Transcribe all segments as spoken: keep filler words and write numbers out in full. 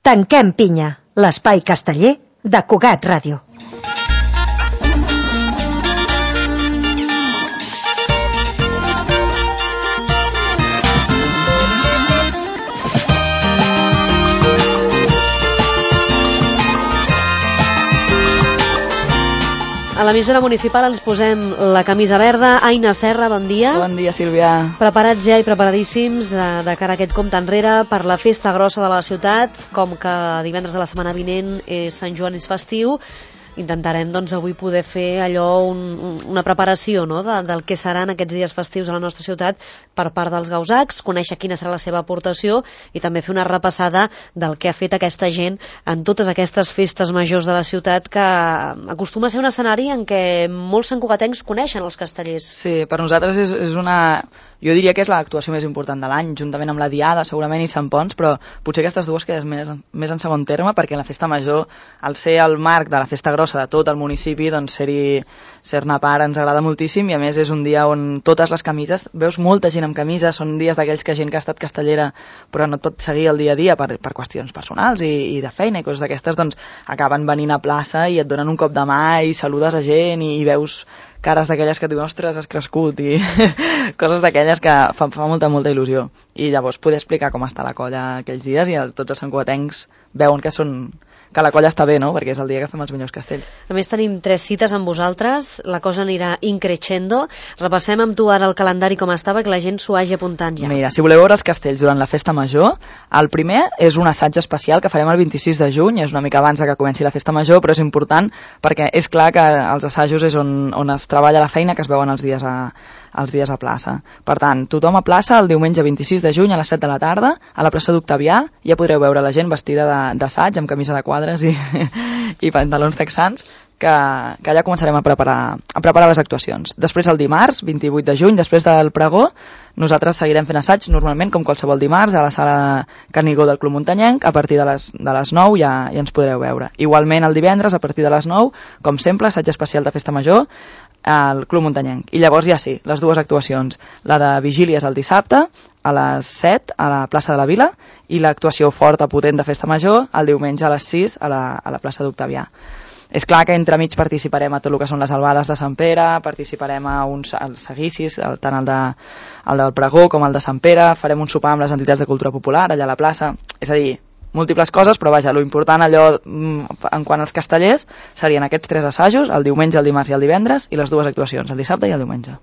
Tanquem pinya, l'espai casteller de Cugat Ràdio. A l'emissora municipal ens posem la camisa verda. Aina Serra, bon dia. Bon dia, Sílvia. Preparats ja i preparadíssims eh, de cara a aquest compte enrere per la festa grossa de la ciutat. Com que divendres de la setmana vinent és Sant Joan, és festiu, intentarem doncs, avui poder fer allò, un, una preparació, no?, de, del que seran aquests dies festius a la nostra ciutat per part dels gausacs, conèixer quina serà la seva aportació i també fer una repassada del que ha fet aquesta gent en totes aquestes festes majors de la ciutat, que acostuma a ser un escenari en què molts santcugatencs coneixen els castellers. Sí, per nosaltres és, és una... Jo diria que és l'actuació més important de l'any, juntament amb la Diada, segurament, i Sant Ponç, però potser aquestes dues quedes més, més en segon terme, perquè la festa major, al ser el marc de la festa grossa de tot el municipi, doncs ser-hi, ser-ne part ens agrada moltíssim, i a més és un dia on totes les camises, veus molta gent amb camises, són dies d'aquells que gent que ha estat castellera però no et pot seguir el dia a dia per, per qüestions personals i, i de feina i coses d'aquestes, doncs acaben venint a plaça i et donen un cop de mà i saludes a gent i, i veus cares d'aquelles que et diuen, ostres, has crescut, i coses d'aquelles que fa, fa molta, molta il·lusió. I llavors poder explicar com està la colla aquells dies i el, tots els santcugatencs veuen que són que la colla està bé, no?, perquè és el dia que fem els millors castells. A més tenim tres cites amb vosaltres, la cosa anirà increixendo. Repassem amb tu ara el calendari com està perquè la gent s'ho hagi apuntant ja. Mira, si voleu veure els castells durant la festa major, el primer és un assaig especial que farem el vint-i-sis de juny, és una mica abans de que comenci la festa major, però és important perquè és clar que els assajos és on, on es treballa la feina que es veuen els dies a, els dies a plaça. Per tant, tothom a plaça el diumenge vint-i-sis de juny a les set de la tarda, a la plaça d'Octavià, ja podreu veure la gent vestida d'assaig, amb camisa de quadres i, i pantalons texans, que, que allà començarem a preparar, a preparar les actuacions. Després el dimarts, vint-i-vuit de juny, després del pregó, nosaltres seguirem fent assaig normalment com qualsevol dimarts a la sala Canigó del Club Muntanyenc. A partir de les, de les nou ja, ja ens podreu veure. Igualment el divendres a partir de les nou, com sempre, assaig especial de festa major al Club Muntanyenc. I llavors ja sí, les dues actuacions, la de vigílies el dissabte a les set a la plaça de la Vila i l'actuació forta potent de festa major el diumenge a les sis a la, a la plaça d'Octavià. És clar que entremig participarem a tot el que són les albades de Sant Pere, participarem a uns seguicis, tant el, de, el del pregó com el de Sant Pere, farem un sopar amb les entitats de cultura popular allà a la plaça, és a dir, múltiples coses, però vaja, lo important allò en quant als castellers serien aquests tres assajos, el diumenge, el dimarts i el divendres, i les dues actuacions, el dissabte i el diumenge.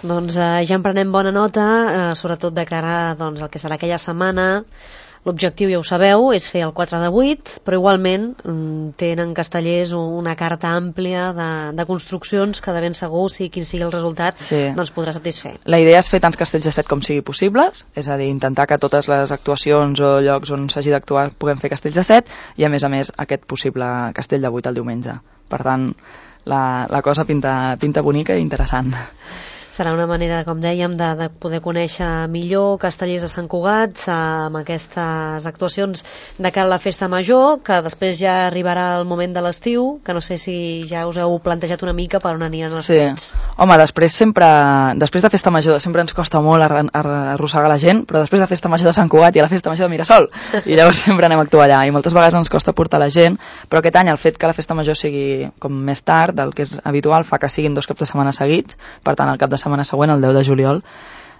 Doncs eh, ja en prenem bona nota, eh, sobretot de cara doncs, al que serà aquella setmana. L'objectiu, ja ho sabeu, és fer el quatre de vuit, però igualment tenen castellers una carta àmplia de, de construccions que de ben segur, si quin sigui el resultat, sí, doncs podrà satisfer. La idea és fer tants castells de set com sigui possibles, és a dir, intentar que totes les actuacions o llocs on s'hagi d'actuar puguem fer castells de set i, a més a més, aquest possible castell de vuit el diumenge. Per tant, la, la cosa pinta, pinta bonica i interessant. Serà una manera, com dèiem, de, de poder conèixer millor castellers de Sant Cugat amb aquestes actuacions de cara a la festa major, que després ja arribarà el moment de l'estiu, que no sé si ja us heu plantejat una mica per on aniran els fets. Sí. Home, després sempre, després de festa major sempre ens costa molt arrossegar la gent, però després de festa major de Sant Cugat hi ha la festa major de Mirasol, i llavors sempre anem a actuar allà, i moltes vegades ens costa portar la gent, però aquest any el fet que la festa major sigui com més tard del que és habitual fa que siguin dos caps de setmana seguits, per tant el cap de setmana següent, el deu de juliol,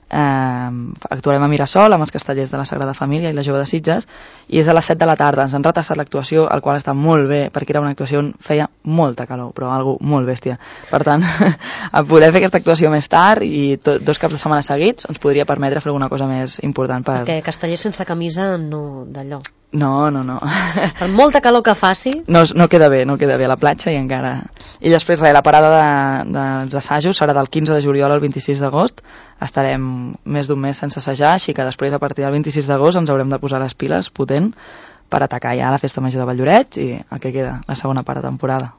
eh, actuarem a Mirasol amb els castellers de la Sagrada Família i la Jove de Sitges, i és a les set de la tarda. Ens han retrasat l'actuació, el qual està molt bé, perquè era una actuació on feia molta calor, però algo molt bèstia. Per tant, a poder fer aquesta actuació més tard i to, dos caps de setmana seguits ens podria permetre fer alguna cosa més important. Per... Perquè castellers sense camisa no d'allò. No, no, no. Per molta calor que faci... No, no queda bé, no queda bé a la platja i encara... I després, res, la parada de, dels assajos serà del quinze de juliol al vint-i-sis d'agost. Estarem més d'un mes sense assajar, així que després, a partir del vint-i-sis d'agost, ens haurem de posar les piles potent per atacar ja la festa major de Valldoreix i a què queda la segona part de temporada.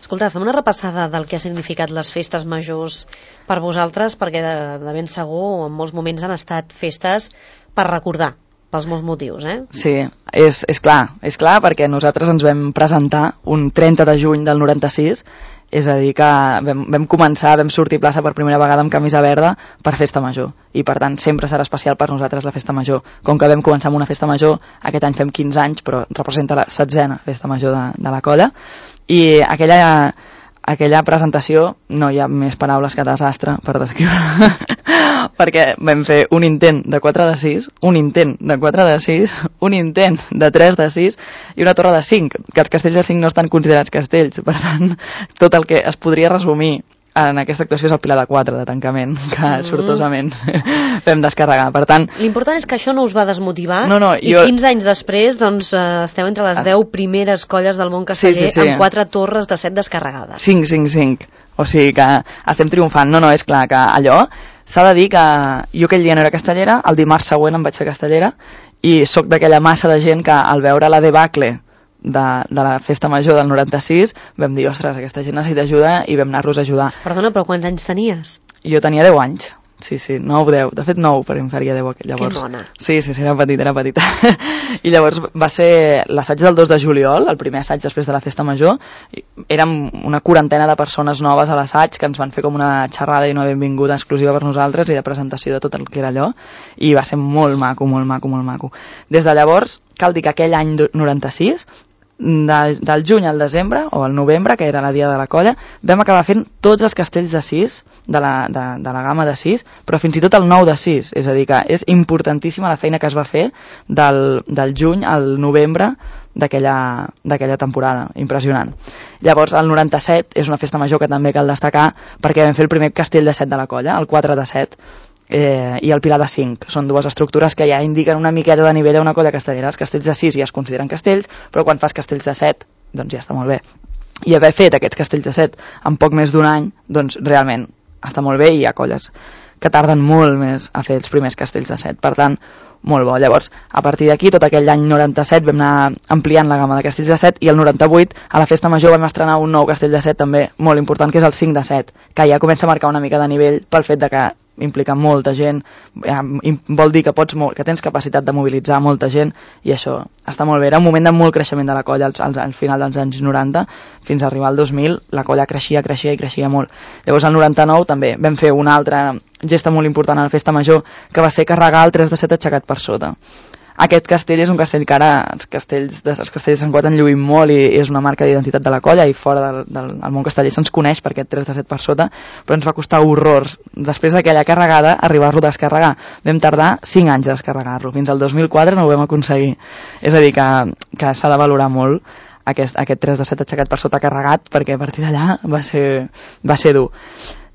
Escolta, fem una repassada del que ha significat les festes majors per vosaltres, perquè de, de ben segur en molts moments han estat festes per recordar, pels molts motius, eh? Sí, és, és clar, és clar perquè nosaltres ens vam presentar un trenta de juny del noranta-sis és a dir que vam, vam començar, vam sortir plaça per primera vegada amb camisa verda per festa major, i per tant sempre serà especial per nosaltres la festa major. Com que vam començar amb una festa major, aquest any fem quinze anys, però representa la setzena festa major de, de la colla, i aquella, aquella presentació, no hi ha més paraules que desastre per descriure, perquè vam fer un intent de quatre de sis, un intent de quatre de sis, un intent de tres de sis i una torre de cinc, que els castells de cinc no estan considerats castells, per tant, tot el que es podria resumir en aquesta actuació és el pilar de quatre de tancament, que mm. sortosament vam descarregar. Per tant, l'important és que això no us va desmotivar, no, no, i jo... quinze anys després doncs, eh, esteu entre les deu primeres colles del món casteller, sí, sí, sí. amb quatre torres de set descarregades. cinc, cinc, cinc. O sigui que estem triomfant. No, no, és clar que allò s'ha de dir que jo aquell dia no era castellera, el dimarts següent em vaig fer castellera, i sóc d'aquella massa de gent que al veure la debacle de, de la festa major del noranta-sis vam dir, ostres, aquesta gent necessita ajuda, i vam anar-los a ajudar. Perdona, però quants anys tenies? Jo tenia deu anys. Sí, sí, nou, deu. De fet, nou, però em faria deu llavors. Que mona. Sí, sí, sí, era petita, era petita. I llavors va ser l'assaig del dos de juliol, el primer assaig després de la festa major. Érem una quarantena de persones noves a l'assaig que ens van fer com una xerrada i una benvinguda exclusiva per nosaltres i de presentació de tot el que era allò. I va ser molt maco, molt maco, molt maco. Des de llavors, cal dir que aquell any noranta-sis, de, del juny al desembre, o al novembre, que era la dia de la colla, vam acabar fent tots els castells de sis, de la, de, de la gamma de sis, però fins i tot el nou de sis, és a dir que és importantíssima la feina que es va fer del, del juny al novembre d'aquella d'aquella temporada, impressionant. Llavors el noranta-set és una festa major que també cal destacar perquè vam fer el primer castell de set de la colla, el quatre de set, eh, i el pilar de cinc. Són dues estructures que ja indiquen una miqueta de nivell a una colla castellera. Els castells de sis ja es consideren castells, però quan fas castells de set, doncs ja està molt bé. I haver fet aquests castells de set en poc més d'un any, doncs realment està molt bé, i hi ha colles que tarden molt més a fer els primers castells de set. Per tant, molt bo. Llavors, a partir d'aquí, tot aquell any noranta-set vam anar ampliant la gamma de castells de set, i el noranta-vuit, a la festa major, vam estrenar un nou castell de set també molt important, que és el cinc de set, que ja comença a marcar una mica de nivell pel fet de que implica molta gent, vol dir que pots que tens capacitat de mobilitzar molta gent, i això està molt bé. Era un moment de molt creixement de la colla al, al, al final dels anys noranta, fins a arribar al dos mil, la colla creixia, creixia i creixia molt. Llavors al noranta-nou també vam fer una altra gesta molt important a la festa major, que va ser carregar el tres de set aixecat per sota. Aquest castell és un castell que ara els castells de, els castells de Sant Cugat en lluïm molt, i és una marca d'identitat de la colla, i fora del, del, del món casteller se'ns coneix per aquest tres de set per sota, però ens va costar horrors després d'aquella carregada arribar-lo a descarregar. Vam tardar cinc anys a descarregar-lo, fins al dos mil quatre no ho vam aconseguir. És a dir que, que s'ha de valorar molt aquest, aquest tres de set aixecat per sota carregat, perquè a partir d'allà va ser, va ser dur.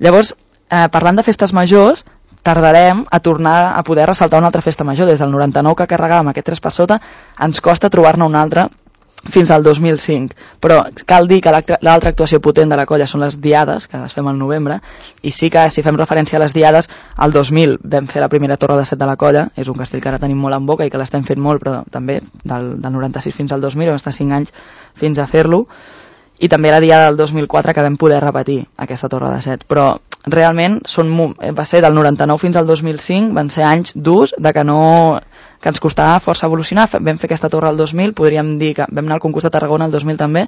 Llavors, eh, parlant de festes majors, tardarem a tornar a poder ressaltar una altra festa major. Des del noranta-nou que carregàvem aquest tres per sota, ens costa trobar-ne una altra fins al dos mil cinc, però cal dir que l'altra actuació potent de la colla són les diades, que les fem al novembre, i sí que si fem referència a les diades, al dos mil vam fer la primera torre de set de la colla, és un castell que ara tenim molt en boca i que l'estem fent molt, però també del, del noranta-sis fins al dos mil, vam estar cinc anys fins a fer-lo, i també la diada del dos mil quatre que vam poder repetir aquesta torre de set, però realment són, va ser del noranta-nou fins al dos mil cinc, van ser anys durs de que no que ens costava força evolucionar. Vam fer aquesta torre al dos mil, podríem dir que vam anar al concurs de Tarragona el dos mil també,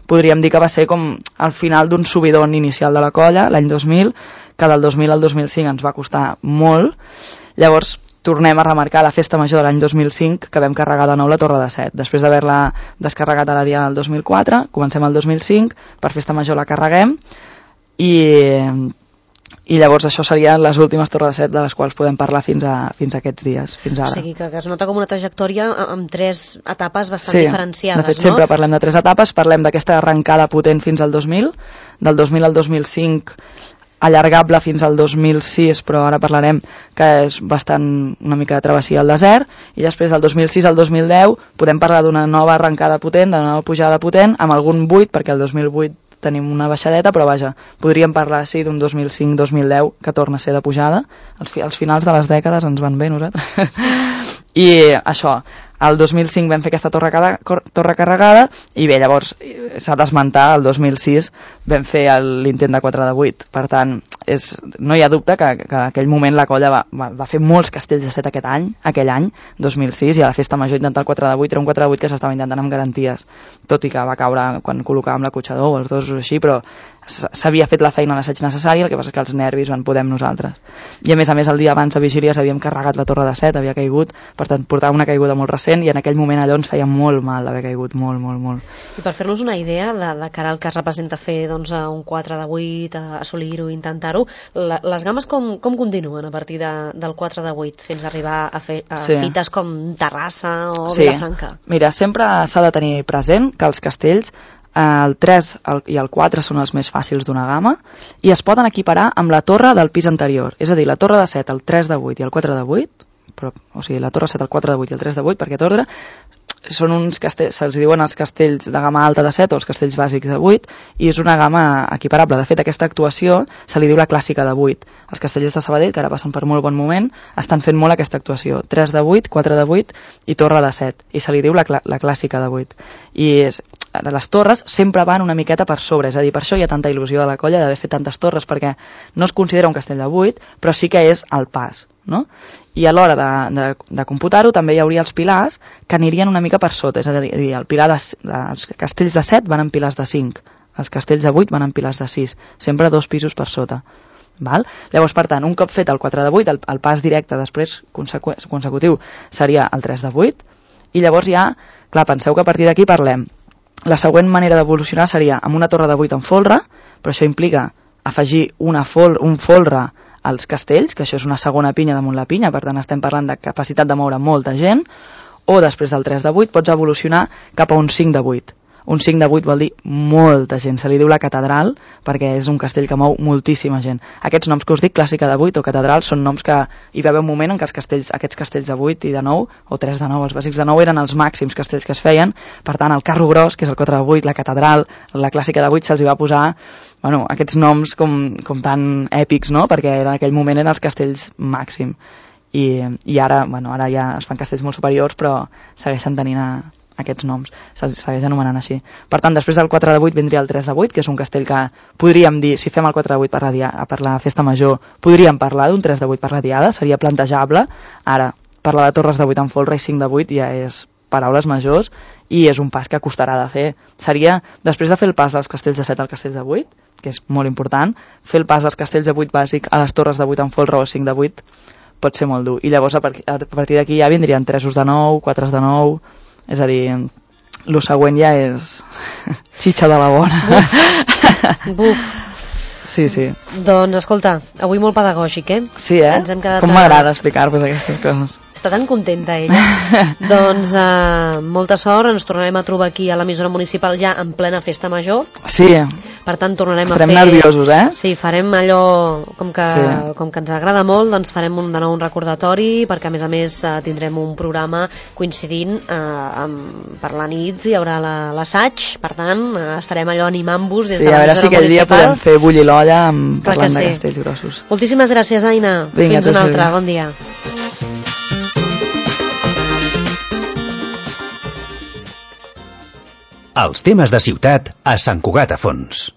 podríem dir que va ser com al final d'un subidon inicial de la colla l'any dos mil, que del dos mil al dos mil cinc ens va costar molt. Llavors tornem a remarcar la festa major de l'any dos mil cinc, que vam carregar de nou la torre de set. Després d'haver-la descarregat a la dia del dos mil quatre, comencem el dos mil cinc, per festa major la carreguem, i, i llavors això serien les últimes torres de set de les quals podem parlar fins a, fins a aquests dies, fins ara. O sigui que, que es nota com una trajectòria amb tres etapes bastant sí, diferenciades, de fet, no? Sempre parlem de tres etapes, parlem d'aquesta arrencada potent fins al dos mil, del dos mil al dos mil cinc, allargable fins al dos mil sis, però ara parlarem que és bastant una mica de travessia al desert, i després del dos mil sis al dos mil deu podem parlar d'una nova arrencada potent, de nova pujada potent, amb algun buit, perquè el dos mil vuit tenim una baixadeta, però vaja, podríem parlar sí d'un dos mil cinc dos mil deu que torna a ser de pujada. Els, fi, els finals de les dècades ens van bé nosaltres. I això, el dos mil cinc vam fer aquesta torre, cada, torre carregada, i bé, llavors s'ha d'esmentar, el dos mil sis vam fer l'intent de quatre de vuit. Per tant, és, no hi ha dubte que, que en aquell moment la colla va, va, va fer molts castells de set aquest any, aquell any, dos mil sis, i a la festa major intentar el quatre de vuit, era un quatre de vuit que s'estava intentant amb garanties, tot i que va caure quan col·locàvem l'acotxador o els dos o així, però s'havia fet la feina a l'assaig necessari, el que passa és que els nervis van poder amb nosaltres. I a més a més el dia abans a vigília s'havíem carregat la torre de set, havia caigut, per tant portava una caiguda molt recent i en aquell moment allò ens feia molt mal haver caigut, molt, molt, molt. I per fer-nos una idea de, de cara al que es representa fer doncs, un quatre de vuit, assolir-ho, intentar-ho, la, les games com, com continuen a partir de, del quatre de vuit fins a arribar a, fer, a sí. fites com Terrassa o sí. Vilafranca? Mira, sempre s'ha de tenir present que els castells el tres i el quatre són els més fàcils d'una gamma i es poden equiparar amb la torre del pis anterior, és a dir, la torre de set, el tres de vuit i el quatre de vuit, però, o sigui, la torre set, el quatre de vuit i el tres de vuit, per aquest ordre, són uns castells, se'ls diuen els castells de gamma alta de set o els castells bàsics de vuit i és una gamma equiparable. De fet, aquesta actuació se li diu la clàssica de vuit. Els castellers de Sabadell, que ara passen per molt bon moment, estan fent molt aquesta actuació. tres de vuit, quatre de vuit i torre de set. I se li diu la, cl la clàssica de vuit. I és, les torres sempre van una miqueta per sobre, és a dir, per això hi ha tanta il·lusió de la colla d'haver fet tantes torres, perquè no es considera un castell de vuit, però sí que és el pas, no? I a l'hora de, de, de computar-ho també hi hauria els pilars que anirien una mica per sota, és a dir, el pilar de, de, els castells de set van en pilars de cinc, els castells de vuit van en pilars de sis, sempre dos pisos per sota. Val? Llavors, per tant, un cop fet el quatre de vuit, el, el pas directe després consecu consecutiu seria el tres de vuit, i llavors ja, clar, penseu que a partir d'aquí parlem. La següent manera d'evolucionar seria amb una torre de vuit en folre, però això implica afegir una fol un folre als castells, que això és una segona pinya damunt la pinya, per tant estem parlant de capacitat de moure molta gent, o després del tres de vuit pots evolucionar cap a un cinc de vuit. Un cinc de vuit vol dir molta gent, se li diu la catedral perquè és un castell que mou moltíssima gent. Aquests noms que us dic, clàssica de vuit o catedral, són noms que hi va haver un moment en què els castells, aquests castells de vuit i de nou, o tres de nou, els bàsics de nou eren els màxims castells que es feien, per tant el carro gros, que és el quatre de vuit, la catedral, la clàssica de vuit, se'ls hi va posar bueno, aquests noms com, com tan èpics, no? Perquè en aquell moment eren els castells màxim. I, i ara, bueno, ara ja es fan castells molt superiors, però segueixen tenint a, aquests noms, se segueix anomenant així. Per tant, després del quatre de vuit vindria el tres de vuit, que és un castell que podríem dir, si fem el quatre de vuit per la, dia, per la festa major, podríem parlar d'un tres de vuit per la diada, seria plantejable. Ara, parlar de torres de vuit en folre i cinc de vuit ja és paraules majors i és un pas que costarà de fer. Seria, després de fer el pas dels castells de set al castell de vuit, que és molt important, fer el pas dels castells de vuit bàsic a les torres de vuit en folre o cinc de vuit pot ser molt dur. I llavors a partir d'aquí ja vindrien tresos de nou, quatre de nou, és a dir, el següent ja és xitxa de la bona. Buf. Buf. Sí, sí. Doncs escolta, avui molt pedagògic, eh? Sí, eh? Ens hem quedat com m'agrada explicar-vos aquestes coses. Està tan contenta ella. Doncs uh, molta sort, ens tornarem a trobar aquí a l'emissora municipal ja en plena festa major. Sí. Per tant, tornarem Estarem a fer... Estarem nerviosos, eh? Sí, farem allò, com que, sí. com que ens agrada molt, doncs farem un, de nou un recordatori, perquè a més a més uh, tindrem un programa coincidint uh, amb, per la nit, hi haurà l'assaig, la, per tant, uh, estarem allò animant-vos des sí, de l'emissora municipal. Sí, a veure si aquell dia podem fer bullir l'olla parlant sí. de castells grossos. Moltíssimes gràcies, Aina. Vinga, fins una altra, bon dia. Els temes de ciutat a Sant Cugat a Fons.